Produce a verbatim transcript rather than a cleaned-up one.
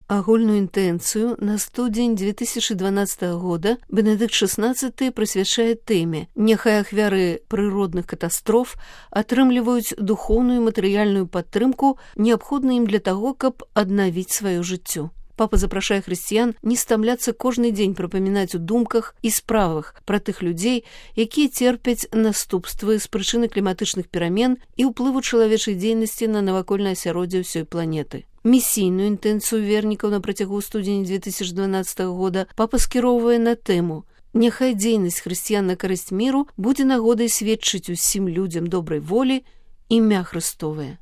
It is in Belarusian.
Агульную інтэнцыю на студзень две тысячи дванадцатого года Бенедыкт шестнадцаты прысвячае тэме «Няхай ахвяры прыродных катастроф атрымліваюць духоўную і матэрыяльную падтрымку, неабходную ім для таго, каб аднавіць сваё жыццё». Папа запрашае хрысціян не стамляцца кожны дзень прапамінаць у думках і справах пра тых людзей, якія церпяць наступствы з прычыны кліматычных перамен і ўплыву чалавечай дзейнасці на навакольнае асяроддзе ўсёй планеты. Місійную інтэнцыю вернікаў на працягу студзеня две тысячи дванадцатого года папа скіроўвае на тэму «Няхай дзейнасць хрысціян на карысць міру будзе нагодай сведчыць усім людзям добрай волі імя Хрыстовае».